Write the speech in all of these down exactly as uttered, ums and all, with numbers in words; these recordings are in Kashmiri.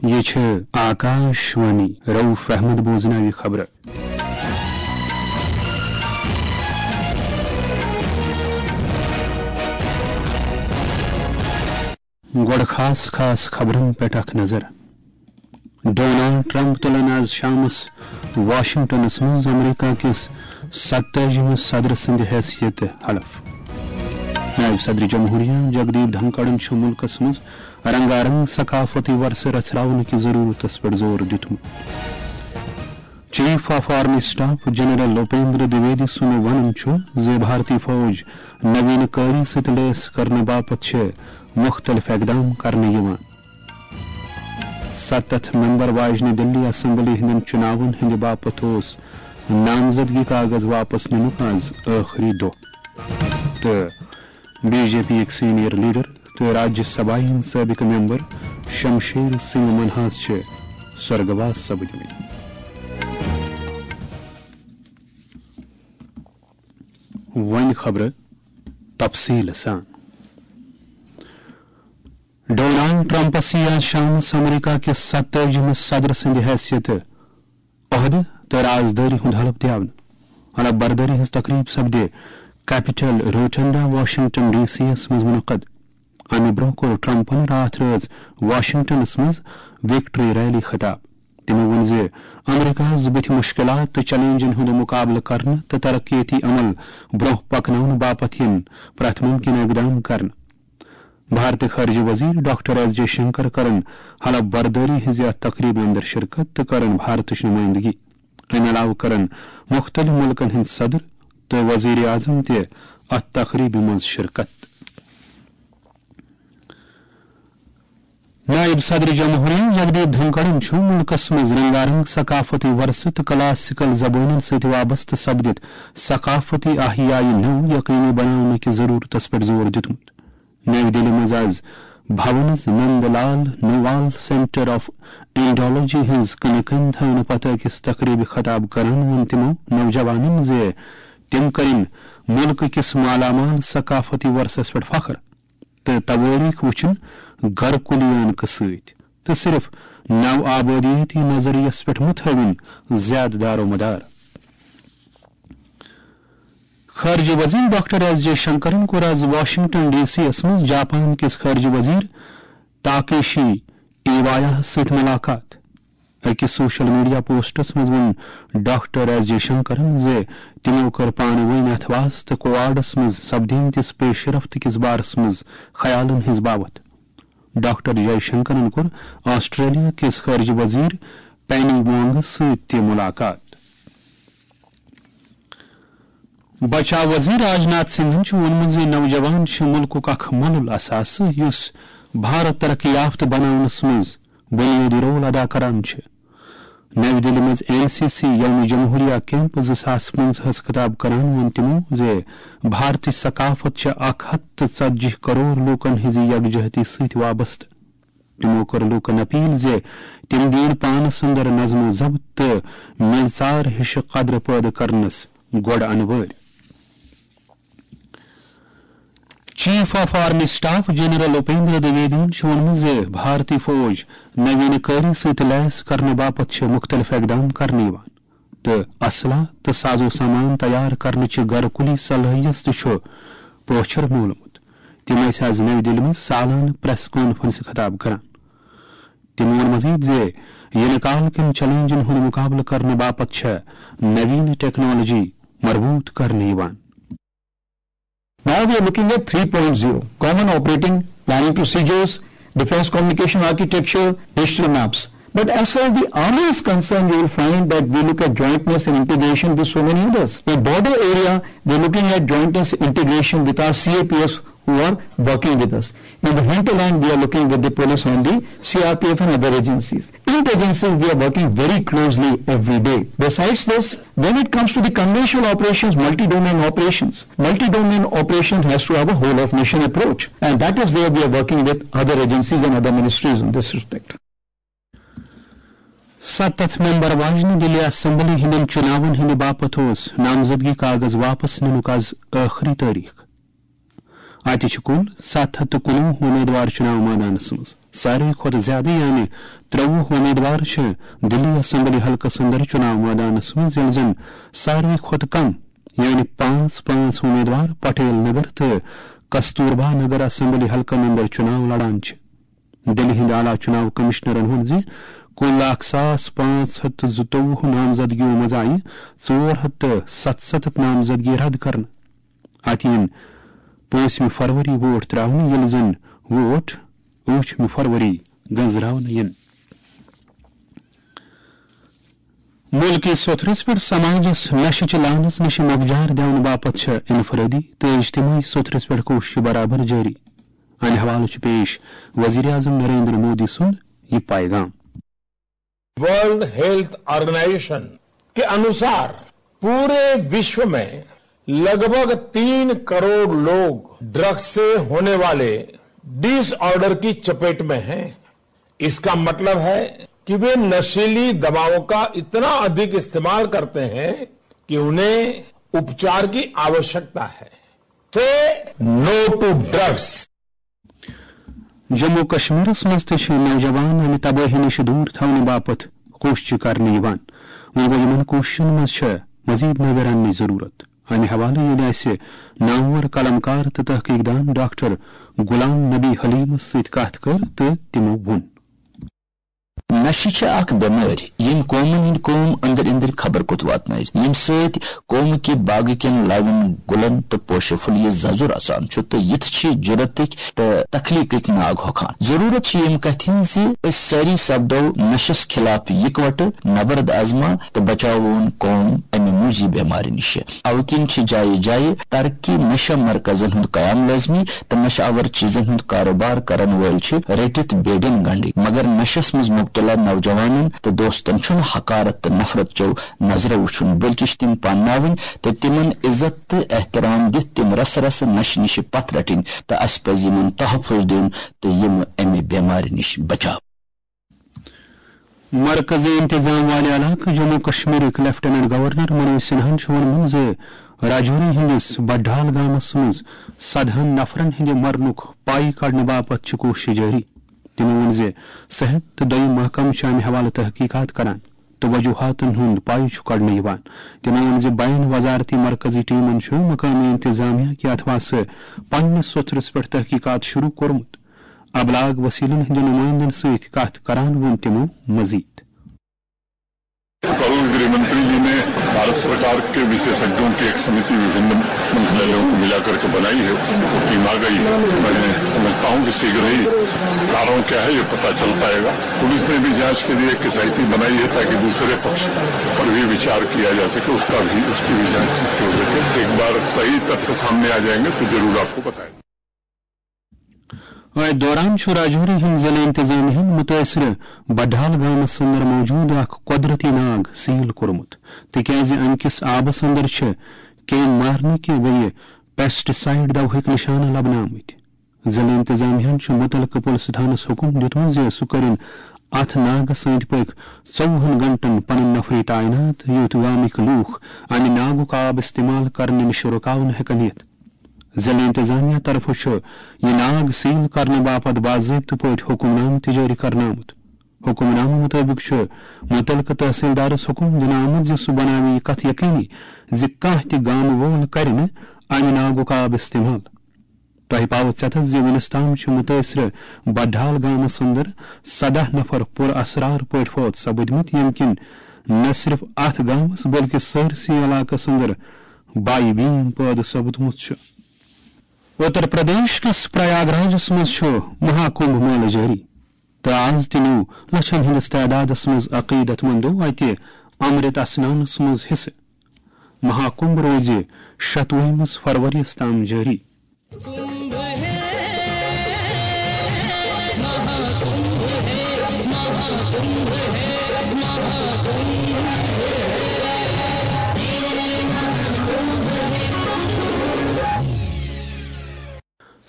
یہ چھِ آکاش وانی۔ رؤف احمد بوزناوِ خبرٕ۔ گۄڈٕ خاص خاص خبرن پٮ۪ٹھ اکھ نظر۔ ڈونلڈ ٹرمپ تُلن آز شامس واشنگٹنس منٛز امریکہ کِس ستٲجِمِس صدر سٕنٛدِ حیثیتہٕ حلف۔ نائب صدر جمہوریہ جگدیپ دھنکڑن چھُ مُلکس منٛز رنگارنگ ثقافتی ورثہٕ رژھراونہٕ کہِ ضرورتس پٮ۪ٹھ زور دیُتمُت۔ Chief of army staff general Upendra Dwivedi سُنٛد ونُن چھُ زِ بھارتی فوج نوین کاری سۭتۍ لیس کرنہٕ باپتھ چھِ مُختٔلِف اقدام کرنہٕ یِوان۔ ستتھ ممبر واجنہِ دِلی اسمبلی ہٕنٛدٮ۪ن چُناون ہٕنٛدِ باپتھ اوس نامزدگی کاغذ واپس نِنُک آز ٲخری دۄہ۔ تہٕ بی جے پی یِکۍ سینئر لیڈر تہٕ راجیہ سبھایہ ہٕنٛدۍ سٲبقہٕ ممبر شمشیر سنگھ منہاس چھِ سرگواس سپدمٕتۍ۔ وۄنۍ خبرٕ تفصیٖل سان۔ ڈونلڈ ٹرمپس یِیہِ آز شامس امریکہ کِس ستٲجِمِس صدر سٕنٛدِ حیثیتہٕ عہدٕ تہٕ رازدٲری ہُنٛد حلف دیاونہٕ۔ حلف بردٲری ہٕنٛز تقریب سپدِ کیپٹل روٹنڈا، واشنگٹن ڈی سی یَس منٛز منعقد۔ امہِ برٛونٛہہ کوٚر ٹرمپن راتھ رٲژ واشنگٹنس منٛز وکٹری ریلی خطاب۔ تِمو ووٚن زِ امریکہس بٕتھِ مُشکِلات تہٕ چیلنجن ہُنٛد مُقابلہٕ کرنہٕ تہٕ ترقیتی عمل برٛونٛہہ پکناونہٕ باپتھ یِن پرٛٮ۪تھ مُمکِنہٕ اقدام کرنہٕ۔ بھارتٕکۍ خارجہ وزیر ڈاکٹر ایس جے شنکر کرن حلف بردٲری ہٕنٛزِ اتھ تقریبہِ اندر شرکت تہٕ کرن بھارتٕچ نمائندگی۔ امہِ علاوٕ کرن مُختٔلِف مُلکن ہٕنٛدۍ صدر تہٕ وزیر اعظم تہِ اتھ تقریبہِ منٛز شرکت۔ نائب صدر جمہوریہ جگدیپ دھنکڑن چھُ مُلکس منٛز رنگارنگ ثقافتی ورثہٕ تہٕ کلاسیکل زبٲنٮ۪ن سۭتۍ وابستہٕ سپدِتھ ثقافتی احیایہِ نوٚو یقینی بناونہٕ کِس ضرورتس پٮ۪ٹھ زور دیُتمُت۔ نَوِ دِلہِ منٛز آز بھونز نند لال نوال سینٹر آف انڈالوجی ہٕنٛز کٕنہِ کٔنۍ تھاونہٕ پتہٕ أکِس تقریبہِ خطاب کران ووٚن تِمو نوجوانن زِ تِم کرن مُلکہٕ کِس مالامال ثقافتی ورثس پٮ۪ٹھ فخر تہٕ توٲریخ وٕچھن گرٕ کُلیانکہٕ سۭتۍ تہٕ صرف نو آبٲدیٲتی نظریس پٮ۪ٹھ متھٲوِن زیادٕ دارومدار۔ خارجہ وزیر ڈاکٹر ایس جے شنکرن کوٚر آز واشنگٹن ڈی سی یَس منٛز جاپان کِس خارجہ وزیر تاکیشی ایوایا ہَس سۭتۍ ملاقات۔ أکِس سوشل میڈیا پوسٹس منٛز ووٚن ڈاکٹر ایس جے شنکرن زِ تِمو کٔر پانہٕ ؤنۍ اتھواس تہٕ کوواڈس منٛز سپدیمتِس پیش رفت کِس بارس منٛز خیالن ہٕنٛز باوتھ۔ ڈاکٹر جے شنکرن کوٚر آسٹریلیا کِس خارجہ وزیر پینی وانگس سۭتۍ تہِ ملاقات۔ بچاو وزیر راجناتھ سنگھن چھُ ووٚنمُت زِ نوجوان چھِ مُلکُک اکھ مۄلُل اثاثہٕ یُس بھارت ترقی یافتہٕ بناونس منٛز بنیٲدی رول ادا کران چھِ۔ نَوِ دِلہِ منٛز این سی سی یوم جمہوریہ کیمپ زٕ ساس پنٛژاہَس خطاب کران ووٚن تِمو زِ بھارتٕچ ثقافت چھِ اکھ ہتھ تہٕ ژتجی کرور لوٗکن ہٕنٛزِ یکجہتی سۭتۍ وابستہٕ۔ تِمو کٔر لوٗکن اپیل زِ تِم دِیِن پانس اندر نظم و ضبط تہٕ میژار ہِش قدر پٲدٕ کرنس گۄڈٕ انوٲرۍ۔ Chief of army staff general Upendra دویدین چھُ ووٚنمُت زِ بھارتی فوج نوین کٲری سۭتۍ لیس کرنہٕ باپتھ چھِ مُختٔلِف اقدام کرنہٕ یِوان تہٕ اسلحہ تہٕ سازو سامان تیار کرنٕچہِ گرٕ کُلی صلٲحیت تہِ چھُ پوچھر میوٗلمُت۔ تِم ٲسۍ آز نَوِ دِلہِ منٛز سالانہٕ پریس کانفرنسہِ خطاب کران۔ تِمو ووٚن مزید زِ یِنہٕ کال کٮ۪ن چیلنجن ہُنٛد مُقابلہٕ کرنہٕ باپتھ چھےٚ نوین ٹیکنالوجی مربوط کرنہٕ یِوان۔ Now we are looking at three point zero, common operating planning procedures, defense communication architecture, digital maps. But as far as the army is concerned, you will find that we look at jointness and integration with so many others. In border area, we are looking at jointness and integration with our C A P Fs who are working with us. In the hinterland, we are looking with the police on the C R P F and other agencies. Intelligence is we are working very closely every day. Besides this, when it comes to the conventional operations, multi-domain operations, multi-domain operations has to have a whole of nation approach, and that is where we are working with other agencies and other ministries in this respect. ستتھ ممبر واجنہِ دِلی اسمبلی ہٕنٛدٮ۪ن چُناون ہٕنٛدِ باپتھ اوس نامزدگی کاغذ واپس نِنُک آز ٲخری تٲریخ۔ اتہِ چھِ کُل ستھ ہتھ تہٕ کُنوُہ امیدوار چُناو مٲدانس منٛز۔ ساروی کھۄتہٕ زیادٕ، یعنی ترٛوُہ امیدوار، چھِ دلی اسمبلی حلقس اندر چناو مٲدانس منٛز، ییٚلہِ زن ساروی کھۄتہٕ کم، یعنی پانٛژھ پانٛژھ امیدوار، پٹیل نگر تہٕ کستوربا نگر اسمبلی حلقن اندر چناو لڑان چھِ۔ دِلہِ ہٕنٛدۍ اعلیٰ چُناو کمشنرن ووٚن زِ کُل اکھ ساس پانٛژھ ہتھ تہٕ زٕتووُہ نامزدگیو منٛز آیہِ ژور ہتھ تہٕ ستستھ نامزدگی رد کرنہٕ۔ اتھ یِن پٲنٛژمہِ فروری ووٹ ترٛاونہٕ، ییٚلہِ زن ووٹ ٲٹھمہِ فروری گنزراونہٕ یِن۔ مُلکی سوٚتھرس پٮ۪ٹھ سماجس نشہٕ چہِ لعنس نِش مۄکجار دِنہٕ باپتھ چھےٚ انفرٲدی تہٕ اجتماعی سوٚتھرس پٮ۪ٹھ کوٗشش برابر جٲری۔ امہِ حوالہٕ چھُ پیش وزیر اعظم نریندر مودی سُنٛد یہِ پیغام۔ वर्ल्ड हेल्थ ऑर्गेनाइजेशन के अनुसार पूरे विश्व में लगभग तीन करोड़ लोग ड्रग्स से होने वाले डिसऑर्डर की चपेट में हैं। इसका मतलब है कि वे नशीली दवाओं का इतना अधिक इस्तेमाल करते हैं कि उन्हें उपचार की आवश्यकता है। Say no to drugs. Jammu کشمیرس منٛز تہِ چھِ نوجوان امہِ تبٲہی نِش دوٗر تھاونہٕ باپتھ کوٗشش کرنہٕ یِوان۔ وۄنۍ گوٚو، یِمن کوٗششن منٛز چھےٚ مزید نویرن نِش ضروٗرت۔ امہِ حوالہٕ ییٚلہِ اسہِ نامور قلمکار تہٕ تحقیق دان ڈاکٹر غلام نبی حلیمس سۭتۍ کتھ کٔر تہٕ تِمو ووٚن۔ نشہٕ چھِ اکھ بٮ۪مٲرۍ، ییٚمۍ قومن ہٕنٛدۍ قوم أنٛدرۍ أنٛدرۍ خبر کوٚت واتنٲوۍ، ییٚمہِ سۭتۍ قومہٕ کہِ باغہٕ کٮ۪ن لوٮ۪ن، گُلن تہٕ پوشہٕ پھُلیہِ ززُر اژان چھُ تہٕ یِتھۍ چھِ جُرتٕکۍ تہٕ تخلیقٕکۍ ناگ ہۄکھان۔ ضروٗرت چھِ ییٚمہِ کتھِ ہٕنٛز زِ أسۍ سٲری سپدو نشس خلاف یکوٹہٕ نبرد آزما تہٕ بچاوون قوم امہِ موذی بٮ۪مارِ نِشہِ۔ اوٕ کِنۍ چھِ جایہِ جایہِ ترقی نشہ مرکزن ہُنٛد قیام لٲزمی تہٕ نشہ آور چیزن ہُنٛد کاروبار کرن وٲلۍ چھِ رٔٹِتھ بیڈین گنڈٕنۍ، مگر نشس منٛز مبتلا نوجوانن تہٕ دوستن چھُنہٕ حقارت تہٕ نفرت چیو نظرو وُچھُن، بلکہِ چھِ تِم پانناوٕنۍ تہٕ تِمن عزت تہٕ احترام دِتھ تِم رسہٕ رسہٕ نشہٕ نِشہِ پتھ رٹٕنۍ تہٕ اسہِ پزِ یِمن تحفظ دیُن تہٕ یِم امہِ بٮ۪مارِ نِش بچاو۔ مرکزی انتظام والہِ علاقہٕ جموں کشمیرٕکۍ لیفٹیننٹ گورنر منوج سنہاہن چھُ ووٚنمُت زِ راجوری ہٕنٛدِس بڈھال گامس منٛز سدہن نفرن ہٕنٛدِ مرنُک پاے کڑنہٕ باپتھ چھِ کوٗشش جٲری۔ تِمو ووٚن زِ صحت تہٕ دوٚیِم محکمہٕ چھِ امہِ حوالہٕ تحقیقات کران تہٕ وجوہاتن ہُنٛد پاے چھُ کڑنہٕ یِوان۔ تِمو ووٚن زِ بین وزارتی مرکزی ٹیمن چھُ مقٲمی انتظامیہ کہِ اتھواسہٕ پننِس سوٚتھرس پٮ۪ٹھ تحقیقات شروع کوٚرمُت۔ ابلاغ وسیلن ہٕنٛدٮ۪ن نمٲیندن سۭتۍ کتھ کران ووٚن تِمو مزید۔ कल गृह मंत्री जी ने भारत सरकार के विशेषज्ञों की एक समिति विभिन्न मंत्रालयों को मिलाकर के बनाई है, वो टीम आ गई है। मैं समझता हूँ कि शीघ्र ही कारण क्या है, ये पता चल पाएगा। पुलिस ने भी जांच के लिए एक एसआईटी बनाई है, ताकि दूसरे पक्ष पर भी विचार किया जा सके, उसका भी, उसकी भी जांच हो सके। एक बार सही तथ्य सामने आ जाएंगे तो जरूर आपको बताएंगे। اتھ دوران چھُ راجوری ہٕنٛدۍ ضلعہٕ انتظامیہ ہن متٲثرٕ بڈھال گامس اندر موجود اکھ قۄدرتی ناگ سیل کوٚرمُت، تِکیازِ امہِ کِس آبس اندر چھِ کیٚمۍ مارنہٕ کہِ بیٚیہِ پیسٹی سایڈ دوہٕکۍ نشانہٕ لبنہٕ آمٕتۍ۔ ضلعہٕ انتظامیہ ہن چھُ مُتعلقہٕ پُلسہٕ تھانس حُکُم دیُتمُت زِ سُہ کٔرِن اتھ ناگس أنٛدۍ پٔکۍ ژوٚوُہن گنٹن پنٕنۍ نفری تعینات، یُتھ گامٕکۍ لوٗکھ امہِ ناگُک آب استعمال کرنہٕ نِش رُکاونہٕ ہٮ۪کن یِتھ۔ ضلعہٕ انتظامیہ طرفہٕ چھُ یہِ ناگ سیل کرنہٕ باپتھ باضٲبطہٕ پٲٹھۍ حُکم نامہٕ تہِ جٲری کرنہٕ آمُت۔ حُکم نامہٕ مُطٲبِق چھُ مُتعلقہٕ تحصیلدارس حُکم دِنہٕ آمُت زِ سُہ بناوِ یہِ کتھ یقینی زِ کانٛہہ تہِ گامہٕ وول کرِ نہٕ امہِ ناگُک آب استعمال۔ تۄہہِ پاوٕ ژٮ۪تس زِ وُنِس تام چھِ مُتٲثرٕ بڈھال گامس اندر سدہ نفر پُر اسرار پٲٹھۍ فوت سپٕدمٕتۍ، ییٚمہِ کِنۍ نہ صرف اتھ گامس بلکہِ سٲرسٕے علاقس اندر باے بیٖن پٲدٕ سپُدمُت چھُ۔ اُتر پردیش کِس پریاگ راجس منٛز چھُ مہا کُمبھ مٲلہٕ جٲری تہٕ از تہِ نیوٗ لچھن ہٕنٛدِس تعدادس منٛز عقیدت مندو اتہِ امرت اسنانس منٛز حصہٕ۔ مہا کُمبھ روزِ شتوُہمِس فرؤریَس تام جٲری۔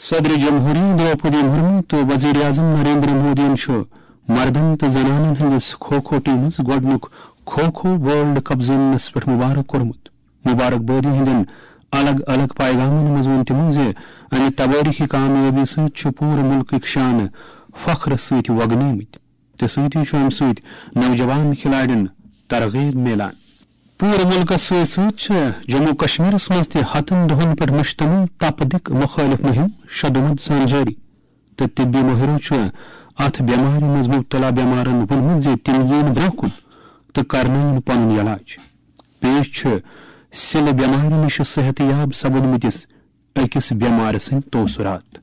صدر جمہوریہ دروپدی مرمو تہٕ وزیر اعظم نریندر مودیَن چھُ مردن تہٕ زنانن ہٕنٛدِس کھو کھو ٹیمس گۄڈٕنیُک کھو کھو ورلڈ کپ زیننس پٮ۪ٹھ مبارک کوٚرمُت۔ مبارک بٲدی ہٕنٛدٮ۪ن الگ الگ پیغامن منٛز ووٚن تِمو زِ امہِ توٲریخی کامیٲبی سۭتۍ چھُ پوٗرٕ مُلکٕکۍ شانہٕ فخر سۭتۍ وۄگنیمٕتۍ تہٕ سۭتی چھُ اَمہِ سۭتۍ نوجوان کھلاڑٮ۪ن ترغیب میلان۔ پوٗرٕ مُلکَس سۭتۍ سۭتۍ چھِ جموں کشمیرَس منٛز تہِ ہَتَن دۄہَن پٮ۪ٹھ مُشتمل تپدق مُخٲلف مُہِم شدومت سان جٲری تہٕ طبی مٲہِرو چھُ اَتھ بٮ۪مارِ منٛز مُبتلا بٮ۪مارَن ووٚنمُت زِ تِم یِن برٛونٛہہ کُن تہٕ کرنٲوِن پنُن علاج۔ پیش چھُ سِلہٕ بٮ۪مارِ نِش صحت یاب سپدمٕتِس أکِس بٮ۪مارِ سٕنٛدۍ تٲثرات۔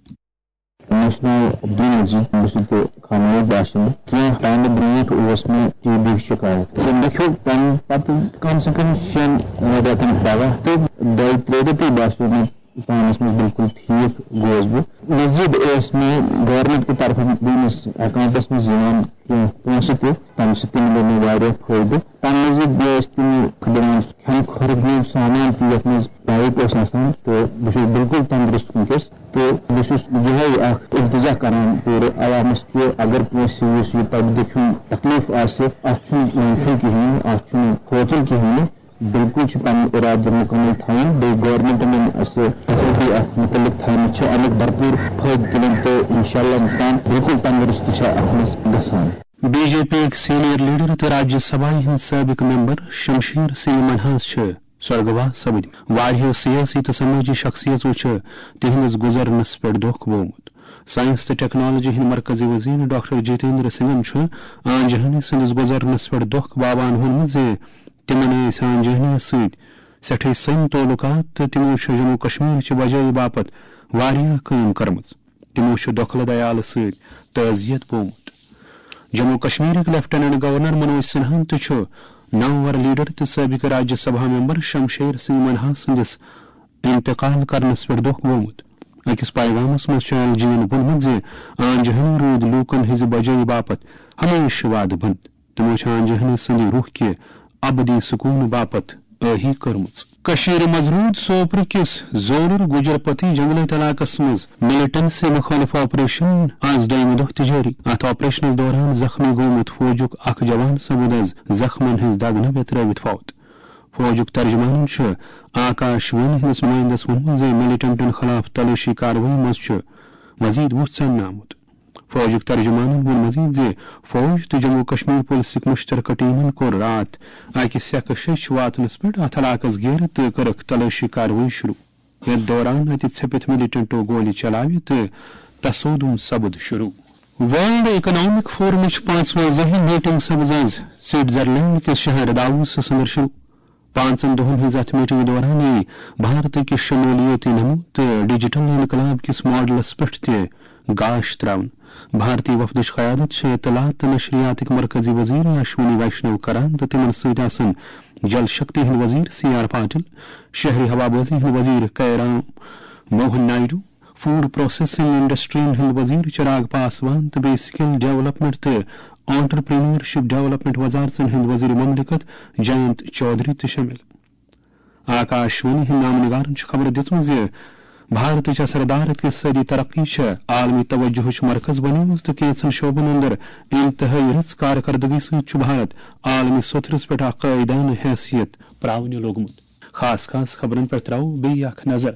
مےٚ اوس ناو عبدل مجید، بہٕ چھُس ییٚتہِ خانوٲیی باشندٕ۔ کینٛہہ ٹایمہٕ برونٛٹھ اوس مےٚ ٹی بی شکایت تہٕ مےٚ کھیوٚو تمہِ پتہٕ کم سے کم شٮ۪ن رٮ۪تن دوا تہٕ دۄیہِ ترٛیٚیہِ رٮ۪تٕے باسیو مےٚ پانس منٛز بالکل ٹھیٖک گوس بہٕ۔ مزید اوس مےٚ گورنمنٹ کہِ طرفہٕ میٲنِس اکاؤنٹس منٛز یِوان کینٛہہ پونٛسہٕ تہِ، تمہِ سۭتۍ تہِ مِلیو مےٚ واریاہ فٲیدٕ۔ تمہِ مزید بیٚیہِ ٲسۍ تِم دِوان کھٮ۪نہٕ خٲطرٕ میون سامان تہِ، یتھ منٛز ڈایٹ اوس آسان، تہٕ بہٕ چھُس بالکل تندرست وٕنکیٚس۔ تہٕ بہٕ چھُس یِہوٚے اکھ التجا کران پوٗرٕ عوامس کہِ اگر کٲنٛسہِ یُس یہِ تۄہہِ دِکھ ہُنٛد تکلیٖف آسہِ، اتھ چھُنہٕ ٹینشن کِہیٖنۍ، اتھ چھُنہٕ کھوژُن کِہیٖنۍ۔ بالکل چھُ پنُن ارادٕ مُکمل تھاوُن۔ بیٚیہِ گورنمنٹن یِم اَسہِ فیسلٹی اتھ مُتعلق تھاونہٕ چھِ، امیُک بھرپوٗر فٲیدٕ تُلُن تہٕ انشاءاللہ انسان بالکل تندرست چھِ اتھ منٛز گژھان۔ بی جے پی یٕکۍ سینئر لیڈر تہٕ راجیہ سبھایہ ہٕنٛدۍ سٲبق ممبر شمشیر سنگھ منہاس چھِ سرگواس سپدۍ۔ واریاہو سیٲسی تہٕ سمٲجی شخصیژو چھُ تِہنٛدِس گُزرنس پٮ۪ٹھ دۄکھ بوومُت۔ ساینس تہٕ ٹیکنالوجی ہٕنٛدۍ مرکزی وزیر ڈاکٹر جتیندر سنگھن چھُ آنجہانی سٕنٛدِس گُزرنس پٮ۪ٹھ دۄکھ باوان ووٚنمُت زِ تِمن ٲسۍ آنجہانی سۭتۍ سٮ۪ٹھاے سٔنۍ تعلقات تہٕ تِمو چھُ جموں کشمیر چہِ بجٲیی باپتھ واریاہ کٲم کٔرمٕژ۔ تِمو چھُ دۄکھلہٕ دیالہٕ سۭتۍ تعزیت بوومُت۔ جموں کشمیرٕکۍ لیفٹیننٹ گورنر منوج سنہاہن تہِ چھُ نامور لیڈر تہٕ سٲبقہٕ راجیہ سبھا ممبر شمشیر سنگھ منہا سٕنٛدِس انتقال کرنس پٮ۪ٹھ دۄکھ گوٚومُت۔ أکِس پیغامس منٛز چھُ ایل جی یَن ووٚنمُت زِ آنجہانی روٗدۍ لوٗکن ہٕنٛزِ بجٲیی باپتھ ہمیشہٕ وادٕ بنٛد۔ تِمو چھِ آنجہانی سٕنٛدِ روح کہِ ابدی سکوٗن باپتھ ٲہی کٔرمٕژ۔ کٔشیٖرِ منٛز روٗد سوپرٕ کِس زولُر گُجرپتی جنگلٲتۍ علاقس منٛز ملیٹنسی مُخٲلف آپریشن آز دوٚیمہِ دۄہ تہِ جٲری۔ اتھ آپریشنس دوران زخمی گوٚومُت فوجُک اکھ جوان سپُد از زخمن ہٕنٛز دگ نہٕ ویترٲوِتھ فوت۔ فوجُک ترجمانن چھُ آکاش وانی ہٕنٛدِس نُمٲیندس ووٚنمُت زِ ملیٹنٹن خلاف تلٲشی کاروٲیی منٛز چھُ مزید وُہ ژاننہٕ آمُت۔ فوجُک ترجمانن ووٚن مزید زِ فوج تہٕ جموں کشمیر پُلسٕکۍ مُشترکہٕ ٹیمن کوٚر راتھ اکہِ سیکہٕ شیٚچھ واتنس پٮ۪ٹھ اتھ علاقس گیرٕ تہٕ کٔرٕکھ تلٲشی کاروٲیی شروع۔ یتھ دوران اتہِ ژھیٚپِتھ ملیٹنٹو گولہِ چلاوِ تہٕ تصادم سپُد شروع۔ ورلڈ اکنامک فورمٕچ پانٛژوَنزٲہِم میٹنگ سپٕز از سوئٹزرلینڈ کِس شہر داووسس اندر شروع۔ پانٛژن دۄہن ہٕنٛز اتھ میٹنگہِ دوران یِیہِ بھارتٕکہِ شمولیٲتی نمو تہٕ ڈیجیٹل انقلاب کِس ماڈلس پٮ۪ٹھ تہِ گاش تراونہٕ۔ بھارتی وفدٕچ قیادت چھِ اطلاعات تہٕ نشریاتٕکۍ مرکزی وزیر اشونی ویشنو کران تہٕ تِمن سۭتۍ آسن جل شکتی ہٕنٛدۍ وزیر سی آر پاٹل، شہری ہوابازی ہٕنٛدۍ وزیر کیرام موہن نائیڈو، فوڈ پروسیسنگ انڈسٹرین ہٕنٛدۍ وزیر چراغ پاسوان تہٕ بیٚیہِ سکل ڈیولپمنٹ تہٕ آنٹرپرینورشپ ڈیولپمنٹ وزارژن ہٕنٛدۍ وزیر مملکت جینت چودھری تہِ شٲمِل۔ آکاش وانی ہٕنٛدۍ نامہٕ نگارن چھِ خبر دِژمٕژ زِ بھارتٕچ اثردار اقتصٲدی ترقی چھےٚ عالمی توجہٕچ مرکز بنیمٕژ تہٕ کینٛژن شعبن اندر انتہٲئی رٕژ کارکردگی سۭتۍ چھُ بھارت عالمی سوٚتھرس پٮ۪ٹھ اکھ قٲیدانہٕ حیثیت پراونہِ لوٚگمُت۔ خاص خاص خبرن پٮ۪ٹھ تراوو بیٚیہِ اکھ نظر۔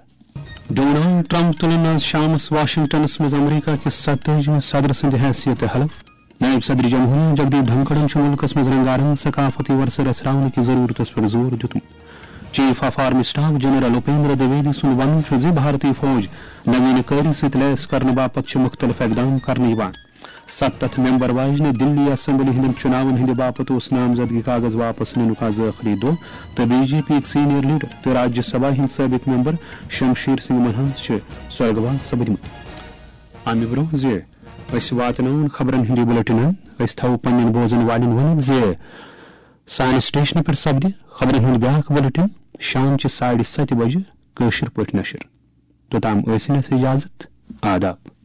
ڈونلڈ ٹرمپ تُلن آز شامس واشنگٹنس منٛز امریکہ کِس ستٲجِمہِ صدر سٕنٛدِ حیثیتہٕ حلف۔ نائب صدر جمہوریہ جگدیپ دھنکڑن چھُ مُلکس منٛز رنگارنگ ثقافتی ورثہٕ رژھراونہٕ کہِ ضروٗرتس پٮ۪ٹھ زور دیُتمُت۔ Chief of army staff general Upendra Dwivedi سُنٛد وَنُن چھُ زِ بھارتی فوج نوینہٕ کٲری سۭتۍ لیس کرنہٕ باپتھ چھِ مُختٔلِف اقدام کرنہٕ یِوان۔ ستتھ ممبر واجنہِ دِلی اسمبلی ہٕنٛدٮ۪ن چُناون ہٕنٛدِ باپتھ اوس نامزدگی کاغذ واپس نِنُک از ٲخری دۄہ تہٕ بی جے پی یٕکۍ سینئر لیڈر تہٕ راجیہ سبھا ہٕنٛدۍ سٲبق ممبر شمشیر سنگھ منہاس چھِ سرگواس سپدمٕتۍ۔ امہِ برونٛہہ زِ أسۍ واتناوون خبرن ہُنٛد یہِ بُلٹن، أسۍ تھاوو پننٮ۪ن بوزن والٮ۪ن ؤنِتھ زِ سانہِ سٹیشنہٕ پٮ۪ٹھ سپدِ خبرن ہُنٛد بیٛاکھ بُلٹن شام چہِ ساڑِ ستہِ بجہِ کٲشِر پٲٹھۍ نشر۔ توٚتام ٲسِن اَسہِ اجازت۔ آداب۔